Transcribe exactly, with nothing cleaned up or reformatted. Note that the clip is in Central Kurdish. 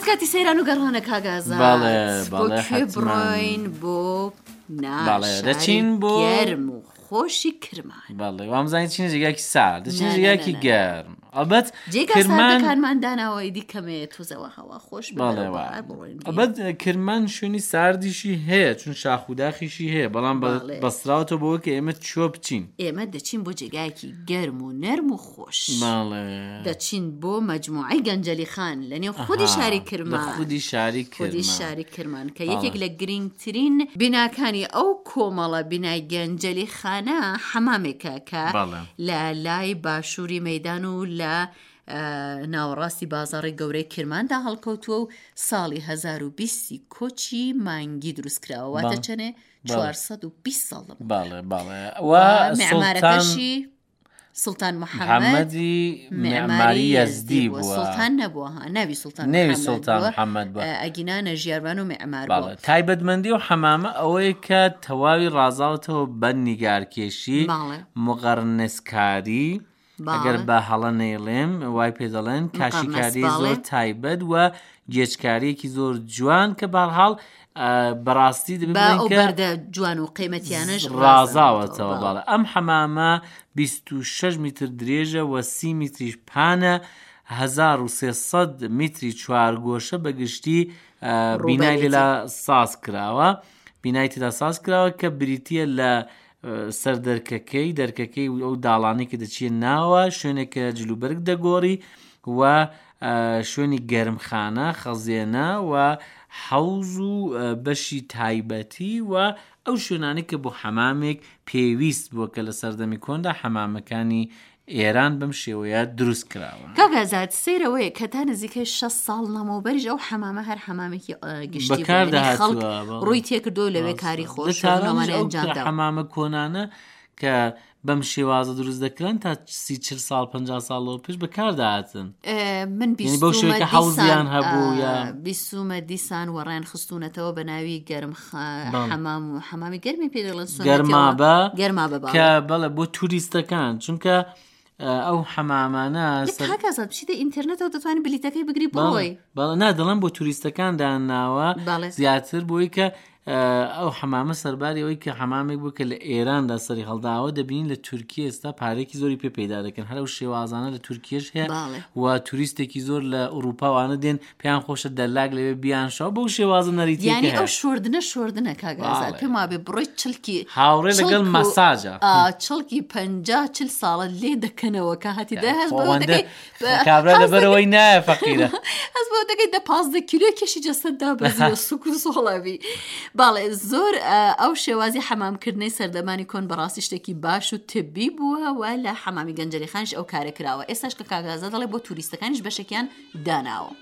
کات کاتی سەیران و گەڕانە کاک ئازاد. بەڵێ، بۆ بەڵێ، کوێ حەتمەن. بڕۆین؟ بۆ نا بەڵێ، شاری دەچین بۆ گەرم و خۆشی کرمان. بەڵێ وامزانی چینە جێگایەکی سارد، دەچینە نا، نا، جێگایەکی نا، نا. گەرم. ئەڵبەت جێگا کرمان ساردەکانمان داناوە ئیدی کەمێ تۆزەوە هەوا خۆش بێ بەڵێ بەرەو وا. بەهار بڕۆین. ئەڵبەت کرمان شوێنی ساردیشی هەیە، چون شاخ و داخیشی هەیە، بەڵام بە- بەڵێ. بەستراوەتەوە بەوە کە ئێمە چۆ بچین. ئێمە دەچین بۆ جێگایەکی گەرم و نەرم و خۆش. بەڵێ. دەچین بۆ مەجموعەی گەنجەلی خان لە نێو خودی ئەها، شاری لە کرمان. خودی شاری خودی کرمان. شاری کرمان کە بەڵێ. یەکێک لە گرنگترین بیناکانی ئەو کۆمەڵە بینای گەنجەلی خانە حەمامێکە کە بەڵێ. لە لای باشووری مەدان و لە ئە، ناوەڕاستی بازاڕی گەورەی کرماندا هەڵکەوتووە و ساڵی هەزار و بیست کۆچی مانگی دروست کراوە. واتە بەڵێ. چەنێ؟ بەڵێ. چوار سەد و بیست ساڵ لەمەوبەر. بەڵێ، بەڵێ. و و سوڵتان معمارەکەشی سوڵتان محەممەد محەممەدی معماری معماری یەزدی یەزدی بووە. بووە. سوڵتان نەبووە ها، ناوی سوڵتان نەوی محەممەد سوڵتان بووە. محەممەد بووە. ئەگینا نەژیاربان و معمار بووە. بەڵێ. تایبەتمەندی و حەمامە ئەوەیە کە تەواوی ڕازاوەتەوە بە نیگارکێشی، بەڵێ. مقەرنسکاری، ئەگەر بەڵێ. بە هەڵە نەیڵێم وای پێ دەڵێن، مقەرنس، کاشیکاری بەڵێ. زۆر تایبەت و گێچکاریەکی زۆر جوان کە بەهەرحاڵ، ئە، بەڕاستی دەبێ با بڵێن ئەو کە بەردە جوان و قیمەتیانەش ڕازاوەتەوە. ڕازاوەتەوە. بەڵێ. ئەم حەمامە بیست و شەش میتر درێژە و سی میتریش پانە، هەزار و سێ سەد میتری چوارگۆشە بە گشتی، ئە، بینای ڕووبەرێتی. لێلا ساز کراوە. بینای تێدا ساز کراوە کە بریتییە لە سەر دەرکەکەی، دەرکەکەی و ئەو داڵانەی کە دەچیە ناوە، شوێنێک کە جلوبەرگ دەگۆڕی و، ئە، شوێنی گەرمخانە، خەزێنە و حەوز و، ئە، بەشی تایبەتی و ئەو شوێنانەی کە بۆ حەمامێک پێویست بووە کە لە سەردەمی کۆندا حەمامەکانی ئێران بەم شێوەیە دروست کراوە. کاک ئازاد، سەیرەوەیە کە تا نزیکەی شەست ساڵ لەمەوبەریش ئەو حەمامە هەر حەمامێکی، ئە، گشتی بوو. بەکار یعنی خەڵک دەهاتووە، بەڵێ. ڕووی تێکردووە لەوێ ڕاستە. کاری لە خۆش و تارانیش نۆمانە ئەو ئەنجام داوە. حەمامە کۆنانە کە بەم شێوازە دروست دەکران تا سی چل ساڵ پەنجا ساڵەوە پێش بەکارداهاتن. ئێ، من یعنی بەو شێوەیە کە بیستومە حەوزیان دیسان، هەبوو ئا، یا بیستومە دیسان وەڕیان خستوونەتەوە بە ناوی گەرم خ- بەڵێ. حەمام و حەمامی گەرمی پێ دەڵێن سوننەتیەوە. گەرمابە گەرمابە، بەڵێ. کە بەڵێ بۆ توریستەکان، چونکە، ئە، ئەو حەمامانە لە سەر- کاک ئازاد بچیتە ئینتەرنێتەوە دەتوانی بلیتەکەی بگری بەڵێ، بڕۆی. بەڵێ، نا دەڵێم بۆ توریستەکان داناوە بەڵێ. زیاتر بۆی کە، ئە، ئەو حەمامە سەرباری ئەوەی کە حەمامێک بوو کە لە ئێراندا سەری هەڵداوە، دەبینین لە تورکیە ئێستا پارێکی زۆری پێ پەیدا دەکەن. هەر ئەو شێوازانە لە تورکیەش هەیە بەڵێ. و توریستێکی زۆر لە ئەوروپاوانە دێن پێیان خۆشە دەلاک لەوێ بیان شەوە بەو شێوازە نەریتیەکە یعنی هەیە. ئەو شۆردنە شۆردنە کاک ئازاد. بەڵێ. پێم وابێ بڕۆی چڵکی هاوڕێ لەگەڵ چڵک و- مەساجە. ئا، چڵکی پەنجا چل ساڵە لێ دەکەنەوە کە هاتی دە هەست بەوە خۆوەندە دەکەی بە- کابرا هەست لەبەرەوەی نایە فەقیرە. هەست بەوە دەکەی دە پازدە کیلۆ کێشی جەسەد دابەزیوە، سوک و سۆڵەبی. بەڵێ، زۆر، ئە، ئەو شێوازی حەمامکردنەی سەردەمانی کۆن بەڕاستی شتێکی باش و تبی بووە و لە حەمامی گەنجەلی خانیش ئەو کارە کراوە. ئێستاش کە کاک ئازاد دەڵێ بۆ توریستەکانیش بەشێکیان داناوە.